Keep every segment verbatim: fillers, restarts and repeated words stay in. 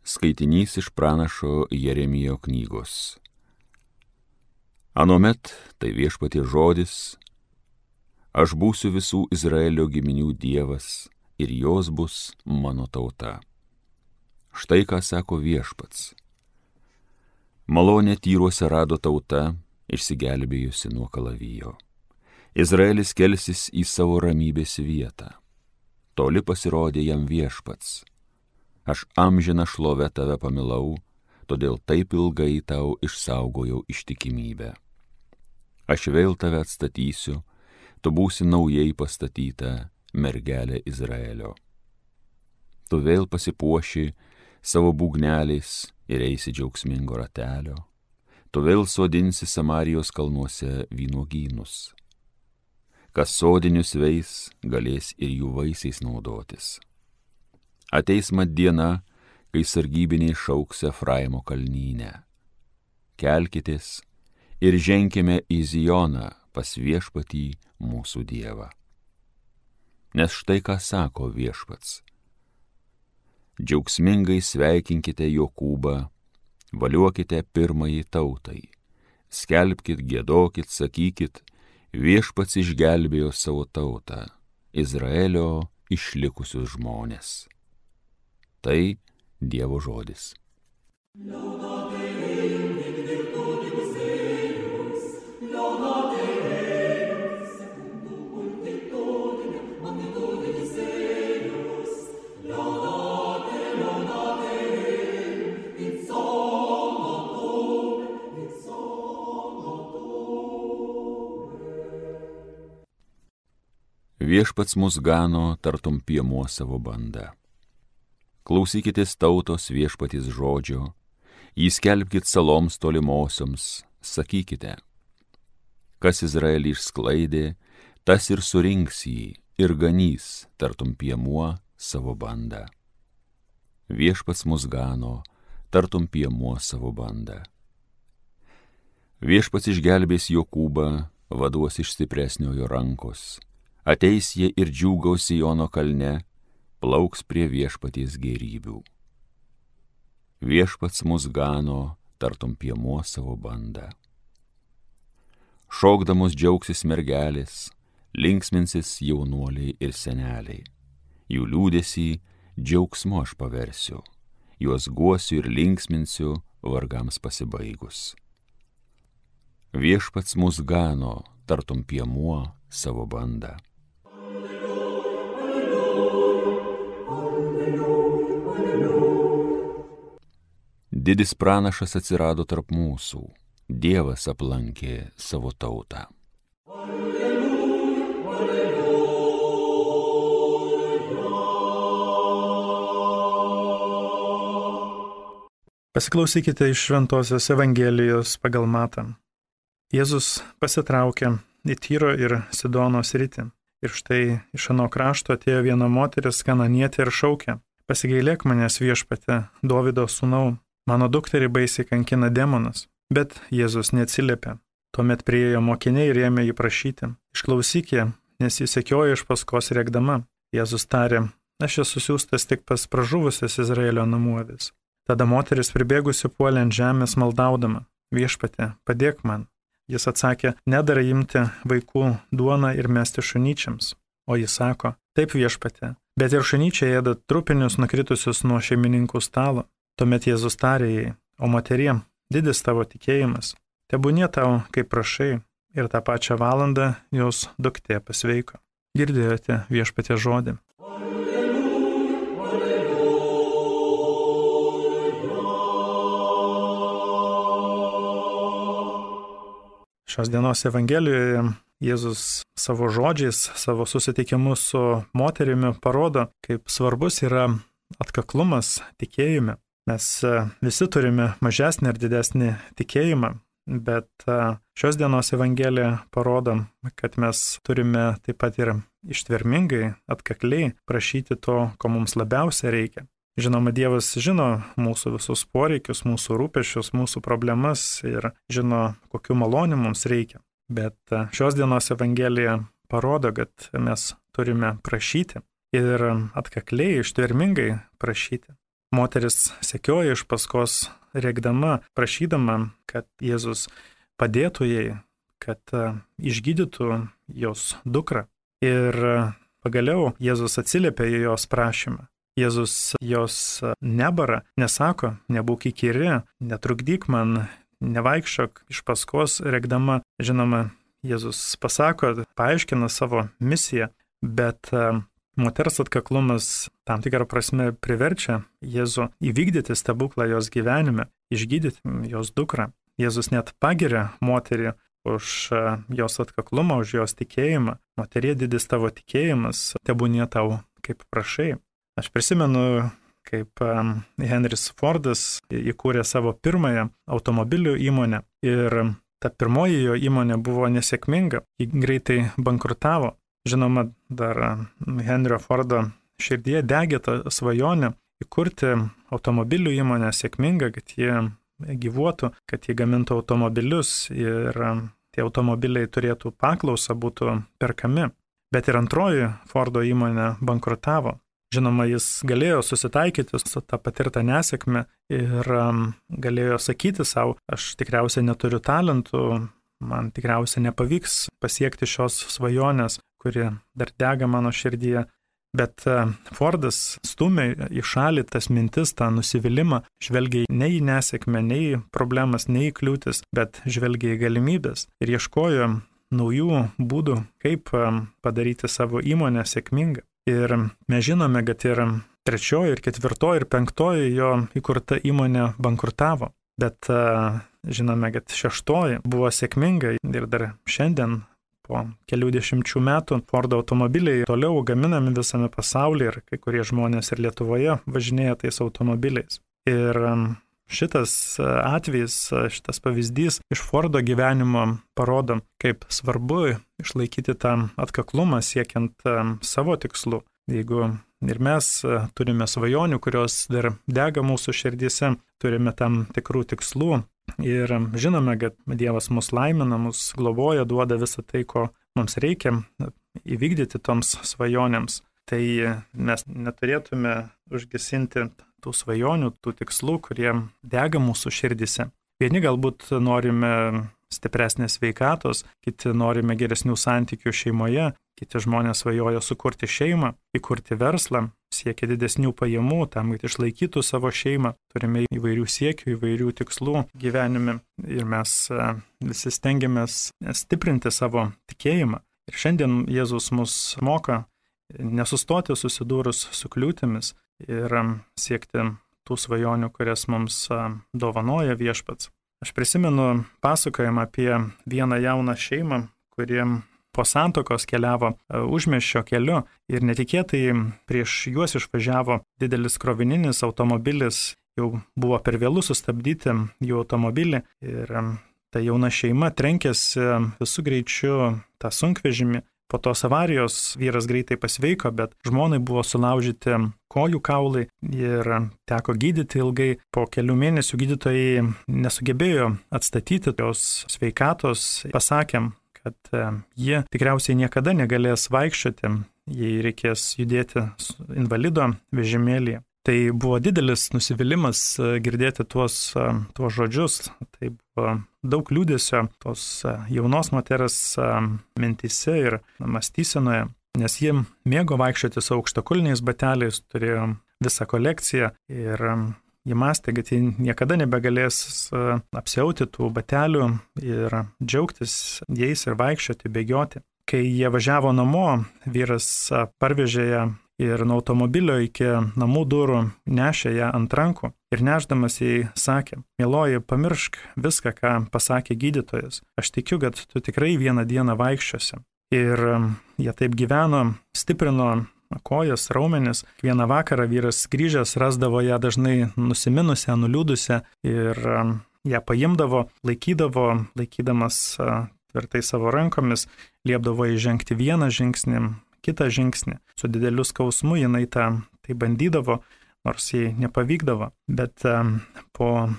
Skaitinys iš pranašo Jeremijo knygos. Anomet, tai Viešpaties žodis, aš būsiu visų Izraelio giminių Dievas ir jos bus mano tauta. Štai ką sako Viešpats. Malonę tyruose rado tauta, išsigelbėjusi nuo kalavijo. Izraelis kelsis į savo ramybės vietą. Toli pasirodė jam Viešpats. Aš amžiną šlovę tave pamilau, todėl taip ilgai tau išsaugojau ištikimybę. Aš vėl tave atstatysiu, tu būsi naujai pastatyta mergelė Izraelio. Tu vėl pasipuoši savo būgneliais ir eisi džiaugsmingo ratelio. Tu vėl sodinsi Samarijos kalnuose vynuogynus. Kas sodinius veis, galės ir jų vaisiais naudotis. Ateis mat diena, kai sargybiniai šauks Efraimo kalnyne. Kelkitės ir ženkime į Zioną pas Viešpatį mūsų Dievą. Nes štai ką sako Viešpats. Džiaugsmingai sveikinkite Jokūbą, valiuokite pirmąjį tautai, skelbkit, giedokit, sakykit, Viešpats išgelbėjo savo tautą, Izraelio išlikusius žmonės. Tai Dievo žodis. Viešpats mus gano tartum piemuo savo bandą. Klausykitės tautos Viešpaties žodžio, jį skelbkit saloms tolimosioms, sakykite, kas Izraelį išsklaidė, tas ir surinks jį ir ganys tartum piemuo savo bandą. Viešpats mus gano tartum piemuo savo bandą. Viešpats išgelbės Jokūbą, vaduos iš stipresniojo rankos, ateis jie ir džiūgaus Siono kalne, plauks prie Viešpaties gėrybių. Viešpats mus gano tartum piemuo savo bandą. Šokdamos džiaugsis mergelės, linksminsis jaunuoliai ir seneliai. Jų liūdesį džiaugsmu aš paversiu, juos guosiu ir linksminsiu vargams pasibaigus. Viešpats mus gano tartum piemuo savo bandą. Didis pranašas atsirado tarp mūsų, Dievas aplankė savo tautą. Pasiklausykite iš Šventosios Evangelijos pagal Matą. Jėzus pasitraukė į Tyro ir Sidono sritį. Ir štai iš ano krašto atėjo viena moteris kananietė ir šaukė: pasigailėk manęs, Viešpatie, Dovydo sūnau, mano dukterį baisiai kankina demonas. Bet Jėzus neatsiliepė. Tuomet priėjo mokiniai ir ėmė jį prašyti: išklausyk ją, nes jis sekioja iš paskos rėkdama. Jėzus tarė: aš esu siųstas tik pas pražuvusias Izraelio namų avis. Tada moteris pribėgusi puolė ant žemės maldaudama: Viešpatie, padėk man. Jis atsakė: nedara imti vaikų duoną ir mesti šunyčiams. O jis sako: taip, Viešpatie, bet ir šunyčiai ėda trupinius nukritusius nuo šeimininkų stalo. Tuomet Jėzus tarė jai: o moterie, didis tavo tikėjimas, tebūnie tau, kaip prašai, ir tą pačią valandą jos duktė pasveiko. Girdėjote Viešpaties žodį. Šios dienos Evangelijoje Jėzus savo žodžiais, savo susitikimu su moterimi parodo, kaip svarbus yra atkaklumas tikėjime. Mes visi turime mažesnį ir didesnį tikėjimą, bet šios dienos Evangelija parodo, kad mes turime taip pat ir ištvermingai, atkakliai prašyti to, ko mums labiausia reikia. Žinoma, Dievas žino mūsų visus poreikius, mūsų rūpesčius, mūsų problemas ir žino, kokiu maloniu mums reikia. Bet šios dienos Evangelija parodo, kad mes turime prašyti ir atkakliai, ištvermingai prašyti. Moteris sekioja iš paskos, rėkdama, prašydama, kad Jėzus padėtų jai, kad išgydytų jos dukrą. Ir pagaliau Jėzus atsiliepia į jos prašymą. Jėzus jos nebara, nesako, nebūk įkyri, netrukdyk man, nevaikščiok iš paskos rėkdama. Žinoma, Jėzus pasako, paaiškina savo misiją, bet moters atkaklumas tam tikrą prasme priverčia Jėzų įvykdyti stebuklą jos gyvenime, išgydyti jos dukrą. Jėzus net pagiria moterį už jos atkaklumą, už jos tikėjimą. Moterie, didis tavo tikėjimas, tebūnie tau kaip prašai. Aš prisimenu, kaip Henris Fordas įkūrė savo pirmąją automobilių įmonę ir ta pirmoji jo įmonė buvo nesėkminga, ji greitai bankrutavo. Žinoma, dar Henrio Fordo širdyje degė tą svajonę įkurti automobilių įmonę sėkmingą, kad jie gyvuotų, kad jie gamintų automobilius ir tie automobiliai turėtų paklausą, būtų perkami. Bet ir antroji Fordo įmonė bankrutavo. Žinoma, jis galėjo susitaikyti su tą patirtą nesėkmę ir galėjo sakyti savo, aš tikriausiai neturiu talentų, man tikriausiai nepavyks pasiekti šios svajonės, kuri dar dega mano širdyje. Bet Fordas stumė į šalį tas mintis, tą nusivylimą, žvelgia ne į nesėkmę, ne į problemas, ne į kliūtis, bet žvelgia į galimybės ir ieškojo naujų būdų, kaip padaryti savo įmonę sėkmingą. Ir mes žinome, kad ir trečioji, ir ketvirtoji, ir penktoji jo įkurta įmonė bankrutavo. Bet žinome, kad šeštoji buvo sėkminga ir dar šiandien po kelių dešimčių metų Fordo automobiliai toliau gaminami visame pasaulyje ir kai kurie žmonės ir Lietuvoje važinėja tais automobiliais. Ir šitas atvejis, šitas pavyzdys iš Fordo gyvenimo parodo, kaip svarbu išlaikyti tą atkaklumą siekiant savo tikslų. Jeigu ir mes turime svajonių, kurios dar dega mūsų širdyse, turime tam tikrų tikslų ir žinome, kad Dievas mus laimina, mus globoja, duoda visą tai, ko mums reikia įvykdyti toms svajonėms, tai mes neturėtume užgesinti tų svajonių, tų tikslų, kurie dega mūsų širdise. Vieni galbūt norime stipresnės sveikatos, kiti norime geresnių santykių šeimoje, kiti žmonės svajoja sukurti šeimą, įkurti verslą, siekia didesnių pajamų, tam, kad išlaikytų savo šeimą. Turime įvairių siekių, įvairių tikslų gyvenime ir mes visi stengiamės stiprinti savo tikėjimą. Ir šiandien Jėzus mus moka nesustoti susidūrus su kliūtimis ir siekti tų svajonių, kurias mums dovanoja viešpats. Aš prisimenu pasakojimą apie vieną jauną šeimą, kuriem po santuokos keliavo užmiesčio keliu ir netikėtai prieš juos išvažiavo didelis krovininis automobilis, jau buvo per vėlu sustabdyti jų automobilį ir ta jauna šeima trenkėsi visų greičių tą sunkvežimį. Po tos avarijos vyras greitai pasveiko, bet žmonai buvo sulaužyti kojų kaulai ir teko gydyti ilgai. Po kelių mėnesių gydytojai nesugebėjo atstatyti jos sveikatos. Pasakėm, kad jie tikriausiai niekada negalės vaikščioti, jei reikės judėti invalido vežimėlyje. Tai buvo didelis nusivylimas girdėti tuos, tuos žodžius. Tai buvo daug liūdesio tos jaunos moters mintyse ir mąstysenoje, nes jie mėgo vaikščioti su aukštakulniais bateliais, turėjo visą kolekciją ir jie mąstė, kad jie niekada nebegalės apsiauti tų batelių ir džiaugtis jais ir vaikščioti, bėgioti. Kai jie važiavo namo, vyras parvežė ją ir nuo automobilio iki namų durų nešė ją ant rankų ir nešdamas jai sakė, mieloji, pamiršk viską, ką pasakė gydytojas. Aš tikiu, kad tu tikrai vieną dieną vaikščiosi. Ir jie taip gyveno, stiprino kojas, raumenis. Vieną vakarą vyras grįžęs rasdavo ją dažnai nusiminusią, nuliūdusią ir ją paimdavo, laikydavo, laikydamas tvirtai savo rankomis, liepdavo įžengti vieną žingsnį, kitą žingsnį. Su dideliu skausmu jinai tą tai bandydavo, nors jai nepavykdavo. Bet um, po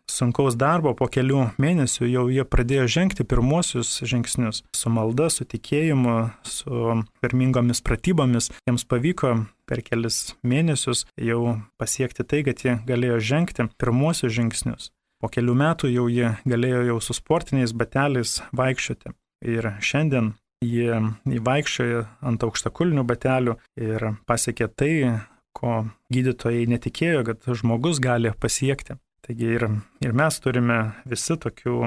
sunkaus darbo po kelių mėnesių jau jie pradėjo žengti pirmuosius žingsnius. Su malda, su tikėjimu, su pirmingomis pratybomis jiems pavyko per kelis mėnesius jau pasiekti tai, kad jie galėjo žengti pirmuosius žingsnius. Po kelių metų jau jie galėjo jau su sportiniais bateliais vaikščioti. Ir šiandien jie vaikščioja ant aukštakulnių batelių ir pasiekė tai, ko gydytojai netikėjo, kad žmogus gali pasiekti. Taigi ir, ir mes turime visi tokių,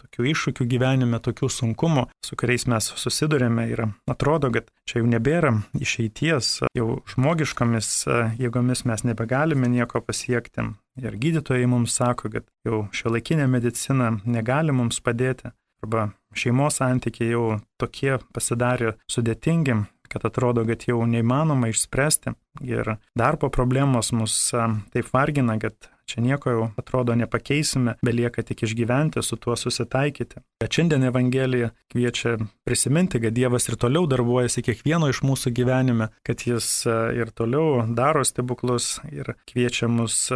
tokių iššūkių gyvenime, tokių sunkumų, su kuriais mes susidurėme ir atrodo, kad čia jau nebėra išeities, jau žmogiškomis jėgomis mes nebegalime nieko pasiekti. Ir gydytojai mums sako, kad jau šiuolaikinė medicina negali mums padėti, arba šeimos santykiai jau tokie pasidarė sudėtingi, kad atrodo, kad jau neįmanoma išspręsti. Ir darbo problemos mus taip vargina, kad čia nieko jau atrodo nepakeisime, belieka tik išgyventi, su tuo susitaikyti. Bet šiandien Evangelija kviečia prisiminti, kad Dievas ir toliau darbuojasi kiekvieno iš mūsų gyvenime, kad Jis ir toliau daro stebuklus ir kviečia mus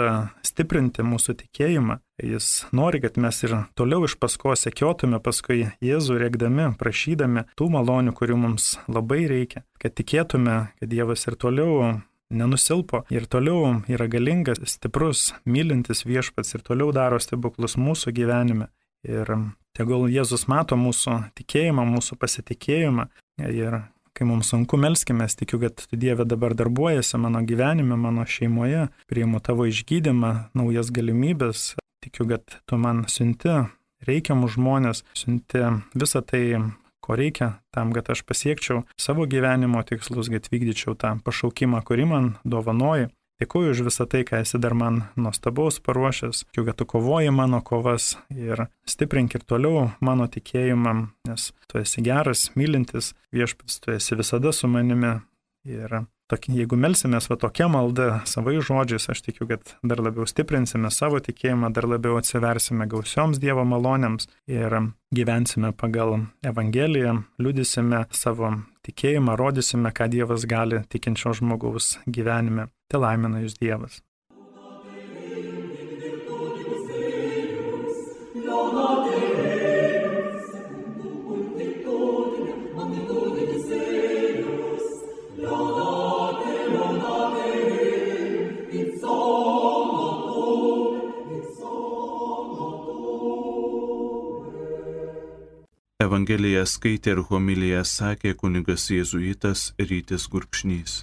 stiprinti mūsų tikėjimą. Jis nori, kad mes ir toliau iš paskos sekiotume paskui Jėzų, rėkdami, prašydami tų malonių, kurių mums labai reikia, kad tikėtume, kad Dievas ir toliau nenusilpo ir toliau yra galingas, stiprus, mylintis viešpats ir toliau daro stebuklus mūsų gyvenime. Ir tegul Jėzus mato mūsų tikėjimą, mūsų pasitikėjimą. Ir kai mums sunku, melskime, tikiu, kad tu Dieve dabar darbuojasi mano gyvenime, mano šeimoje, priimu tavo išgydymą, naujas galimybės. Tikiu, kad tu man siunti reikiamus žmonės, siunti visą tai, ko reikia tam, kad aš pasiekčiau savo gyvenimo tikslus, kad vykdyčiau tą pašaukimą, kurį man dovanoji. Dėkuoju už visą tai, ką esi dar man nuostabaus paruošęs, tikiu, kad tu kovoji mano kovas ir stiprink ir toliau mano tikėjimą, nes tu esi geras, mylintis viešpats, tu esi visada su manimi. Ir tokia, jeigu melsimės va tokia malda savai žodžiais, aš tikiu, kad dar labiau stiprinsime savo tikėjimą, dar labiau atsiversime gausioms Dievo malonėms ir gyvensime pagal Evangeliją, liudysime savo tikėjimą, rodysime, ką Dievas gali tikinčio žmogaus gyvenime. Te laimina jūs Dievas. Evangeliją skaitė ir homiliją sakė kunigas jėzuitas Rytis Gurkšnys.